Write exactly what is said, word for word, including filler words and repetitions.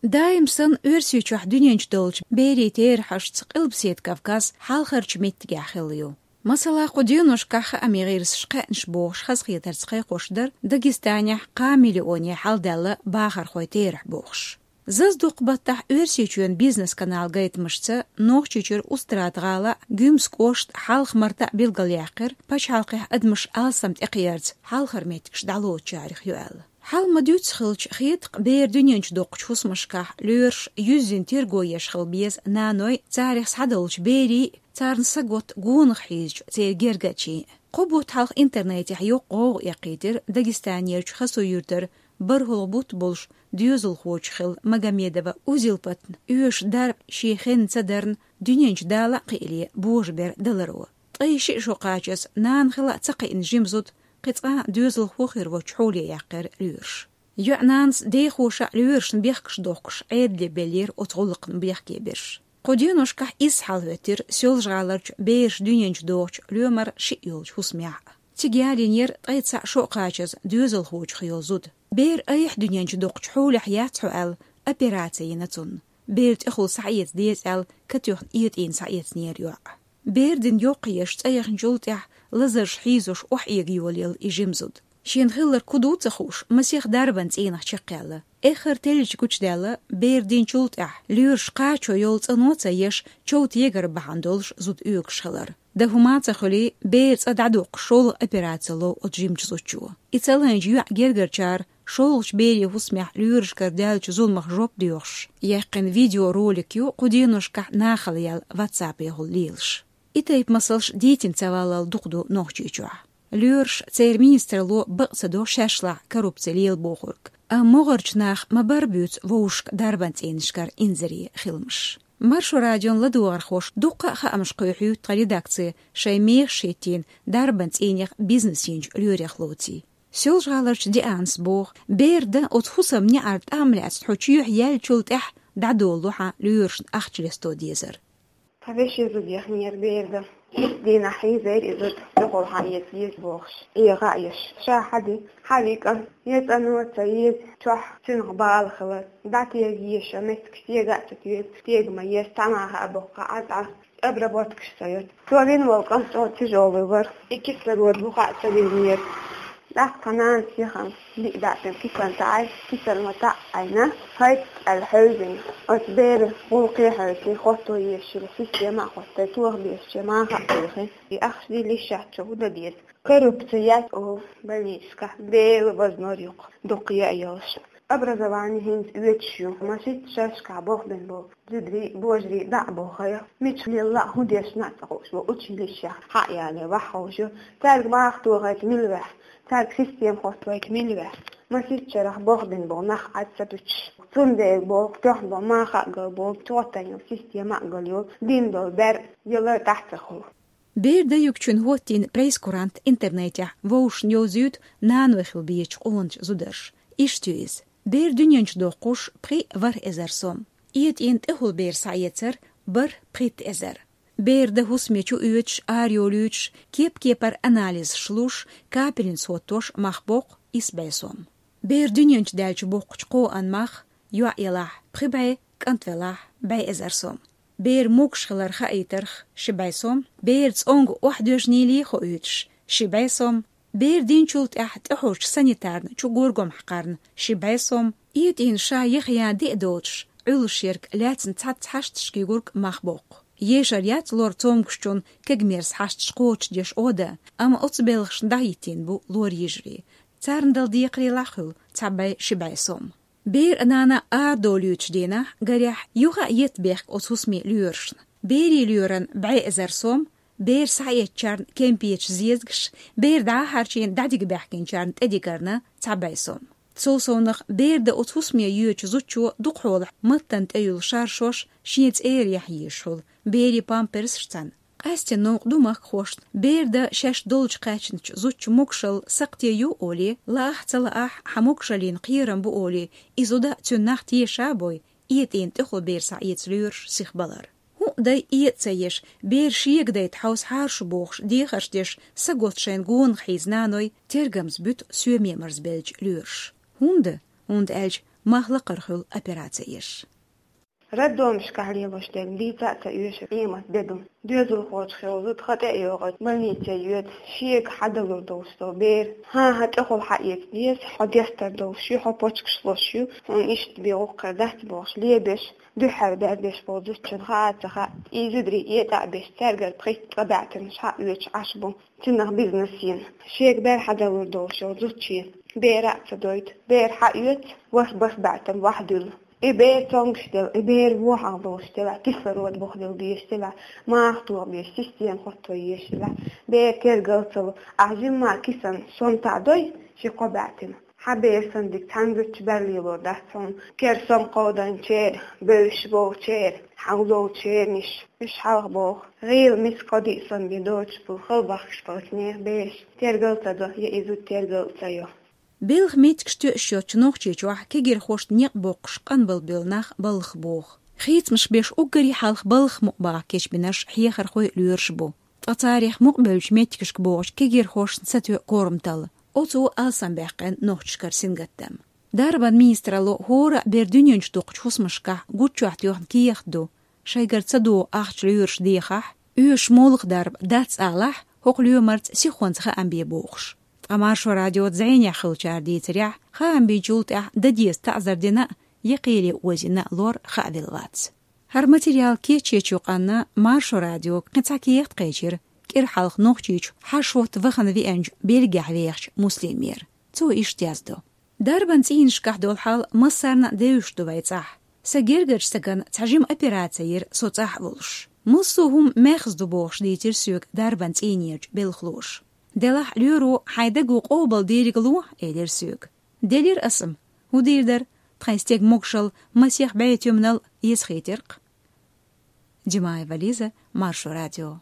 Даим санна Оьрсийчохь дуьнен чу долчу берийн терахьашца Къилбаседа Кавказ хьалхарчу меттигехь хилла ю. Масала, кху деношкахь хаамийн гӀирсаша кхаьънаш бохуш хазахетарца кхайкхош дара Дагестанехь кхаа миллионе хьалдаьлла бахархойн терахь бохуш. Заза дукха баттахь Оьрсийчоьнан бизнес-каналан гайтамашца Нохчийчуьра Устрада-ГӀала, Гуьмсан кӀошта, Хьалха-Марта билгалъяьккхира, пачхьалкхехь адамаш алсам тӀекхиарца хьалхара меттигаш дӀалоцучарех ю аьлла. Хьал ма-дуьйццу хилча, хетакъ бер дуьнен чу доккхучу хӀусамашкахь лоьраша юьззина терго еш хила беза наной, царах схьадолчу берийн, царна саготта гонах хьийзачу церан гергарчийн. Кхо бутт хьалха интернетехь йоккха гӀовгӀа эккхийтира Дагестанерчу Хасу-Юьртара бархӀалгӀа бутт болуш доьзалхочух хилла Магомедова Узилпатна оьшуш дарба шен хенна ца дарна, дуьнен чу дала а кхиале божабер даларо. Ткъе шиъ шо кхачаза нана хила а ца кхиъна жима зуда кхин цкъа а доьзалхо хир воцчу хьоле яьккхира лоьраша. ЙоьӀнанас дехоша а лоьрашна бехкаш дохкуш Ӏедале беллера оцу гӀуллакхна бехке берш. Кху деношкахь иза хьалахӀоьттира Соьлжа-ГӀаларчу бераш дуьнен чу дохучу лоьмар шиъ йолчу хӀусамехь а. Цига ялийнера ткъе цхьаъ шо кхачаза доьзалхочух йолу зуда. Бер айхьа дуьнен чу доккхучу хьолехь яц хьо аьлла, операци йина цунна. Бер тӀехула схьаэца деза аьлла, катоьхна этӀийна схьаэцнера йоӀ. Бер дина йоккха еш цӀа яхначул тӀаьхьа лазарш хьийзош охьаэга йолаелла и жима зуда. Шена хилларг хӀун ду ца хууш, масех дарбан цӀийнах чекхъяьлла. Эххар теллича гучудаьлла, бер динчул тӀаьхьа лоьраша кхачо йолу цӀано а ца еш, чов тегар бахьана долуш зуда оьгуш хилар. Дан хӀума а ца хуьлий, бер цӀа дӀадоккхуш шолгӀа операци лов оцу жимачу зудчо. И ца лайначу йоьӀан гергарчара шолгӀачу берийн хӀусамехь лоьрашкара даьллачу зуламах жоп доьхуш яьккхина видеоролик ю кху деношкахь нахала яьлла WhatsApp-ехула лелаш. И тайпа масалш дийцина ца валлал дукха ду Нохчийчохь. Лоьраша, церан министралло бакъ ца до шаьшлахь коррупци лела бохург. Амма могӀарчу наха ма-барра буьйцу вовшашка дарбан цӀийнашкара инзаре хиламаш. Маршо радион ладогӀархоша дуккха а хаамаш кхоьхьуьйту тхан редакци шайн мехаш хӀиттийна дарбан цӀийнех бизнес йинчу лоьрех лоций. Соьлжа-ГӀаларчу Дианас боху, бер дан оцу хӀусаман неӀарна тӀам лаьцна хьо чоьхьа яьллачул тӀаьхьа дӀадолало хьан лоьрашна ахча лесто дезар. Тхан вешин зуда яхнера бер дан. Итт дийнахь хьийзийра и зуда, дукъал хьан эца еза бохуш, эгӀа а еш. Ша хьан ди, хьан вика, я цӀано а ца еза, чохь цуьнах бала хилар, дӀатега еза ша меттигаш тега а ца тоьга, тега ма еза, цхьа маха а боккха Ӏа цӀа, обработкаш ца йоцу. Цо вина волу кӀант чӀогӀа тяжёлый вара, и кислород буха а ца винера. ТӀаккха нанас яхан биъ даьӀпин кислота Ӏай, кислота Ӏайна, хӀайтта аьлла хьевзина. Оцу беран гӀуллакхе хьоьстий, хӀотто езаш йолу система а хӀоттий, тоха безачу маха а кхойкхий. И ахча дилла йиш яц, чу хӀун дан деза? Коррупци яц олу больницашкахь, Дела вазнор юкъа дукха яа йолуш. Образование хӀинца оьцуш ю, масийтта шерашкахь болх бина болу зударий, божарий дӀа а бохий, мича лелла а, хӀун дешна а ца хууш бу, училищехь хьа а яле, ваха ховш ю. Цаьрга маха тохийта мила ваьхьа, цаьрга система хӀоттавайта мила ваьхьа. Масийтта шарахь болх бина болу нах Ӏад ца буьтуш. Цундела болу, тоьхна болу маха а гал болу, чӀогӀа тайна йолу система а гал йолу, дина долу бер яла а тӀаьхьа ца хуьлу. Бер дан юьгучун хӀоттийна прейскурант интернетехь вовшашна йовзуьйту наной хила безачу къоначу зударша. Иштта ю иза. Бер дуьнен чу доккхуш пхи ворхӀ эзар сом. ЭтӀийна тӀехула бер схьаэцар бархӀ пхийтта эзар. Бер дан хӀусаме чу оьцуш, арайолуьйтуш, кеп-кепара анализаш луш, капельница хӀоттош мах боккху исс бӀе сом. Бер дуьнен чу даьлча боккхучу кхоан мах, йоӀ елахь пхи бӀе, кӀант велахь бӀе эзар сом. Бер могуш хилар хаийтарх ши бӀе сом, бер цӀонга охьадоьжнийла хоуьйтуш ши бӀе сом, бер динчул тӀаьхьа тӀехьожучу санитарна чу горгом хьакхарна ши бӀе сом, этӀийна ша яха ян диъ доцуш, Ӏуьллуш ерг лаьцна цхьацца хьашташкий гург мах боккху. Ешар яц лор цомгушчун кегамерса хьашташ кхочушдеш Ӏода, амма оцу белхашна дӀахӀиттийна бу лор йижарий. Царна дала декхарийлахь хуьлу цхьа бӀе ши бӀе сом. Бер а нана а арадолуьйтуш дийнахь, гарехь, юха а етта бехк оцу хӀусаме лоьрашна. Берийн лоьран бӀе эзар сом, бер схьаэцначарна кемпеташ, зезагаш, бер дӀа а хьарчийна дӀадига баьхкинчарна тӀедигарна цхьа бӀе сом. Цул совнах бер дан оцу хӀусаме йоьдучу зудчо дукхахьолахь маттана тӀеюьллу шаршош шен цӀера яхьа езаш хуьлу, берийн памперсаш цхьаьна. Къаьстина новкъа ду махкахошна, бер дан шаьш долчу кхаьчначу зудчун могушалла сакхте ю олий, лаахь а ца лаахь а хьан могушаллина кхерам бу олий, и зуда а цуьнан нах теша а бой, этӀийна тӀехула бер схьаэца лоьраш сихбалар. ХӀуъа дай этӀа ца еш, бер шега дайта хьовса хьарш бохуш дехарш деш, саготта шайна гонах хьийза наной тергамца буьту соьме марзбеллачу лоьраша. ХӀунда? ХӀунда аьлча Мах лакхара хуьлу операци еш. Роддомашкахь лелош дерг дийца а ца оьшу, къемат де ду. Доьзалхочух йолу зуда хан тӀе а йогӀуьйту, больнице йоьду, шега хьадалур долуш долу бер. ХӀан-хӀа, тӀехула хьаэца деза, хьо дестар долуш ю, хьо почкаш луш ю, хьуна иштта бен гӀуллакх дац бохуш, лебеш, дуьххьара бер деш болу зудчун хаа а ца хаьа, и зударий этӀа а беш, цаьргара пхийтта цкъа баьӀтанаш хьаоьцуш Ӏаш бу. Цунах бизнес йина. Шега бер хьадалур долуш йолу зудчо бер а ца дойту. Бер хьаоьцу, ворхӀ-бархӀ баьӀтан вахьа дуьллу. И бер цомгуш делахь, и бер вохьагӀ долуш делахь, кислород бухделла дезаш делахь, маха тоха беза, система хӀотто езаш делахь, бер тергал ца ло, ахь жимма кисана сом таӀадой ши-кхо баьӀтина. Хьан бер санна дика цхьана зудчо бер лелор дац хьуна. Кер сом кховданчеран, бевзаш болчеран, хьалдолчеран иш, уьш хьалха боху. ГӀийла миска кхо-диъ сом бен доцуш болу хала бахкаш болчу нехан бераш тергал ца до, я и зуда тергал ца йо. Белхан меттигаш тоьуш йоцчу Нохчийчохь кегирхошна некъ боккхуш къанбал бевлла нах балхах боху. Хийцамаш беш уггаре хьалха балхах мукъа баха кечбинарш хьехархой, лоьраш бу. Ткъа царах мукъа бевллачу меттигашка богӀучу кегирхошна ца тоьу корматалла. Оцу алсамбаьккхина нохчашкара сингаттам. Дарбан министралло хӀора а бер дуьнен чу дукхучу хӀусамашкахь гуччохь тоьхна кехат ду, шайгара ца догӀу ахча лоьраш дехахь, оьшуш молха дарба дац алахь, хӀокху лоьмарца сихонца хаам бе бохуш. Ткъа Маршо радиоца зӀенехь хиллачара дийцарехь, хаам бинчул тӀаьхьа дан деза таӀзар дина а, я кхеле озийна а лор хаавелла вац. ХӀара материал кечъечу къанна Маршо радиога кхин цхьа кехат кхечира, кӀира хьалха Нохчийчу хьашт-хӀотта вахана веанчу Бельгехь вехачу Муслимера. Цо иштта яздо: «Дарбан цӀийнашкахь долу хьал массарна а девзаш ду вай цӀахь. Сан гергарчу стагана цхьа жима операци йира со цӀахь а волуш. Массо а хӀума маьхза ду бохуш дийцира соьга дарбан цӀийнерчу белхалоша. Делахь лоьро хьайн даго къобал дийриг ло, элира соьга. Делира аса-м. ХӀун дийр дара, тхайн стеган могушалла масех бӀе туьманал эцахийтира-кх». Димаева Лиза, Маршо радио.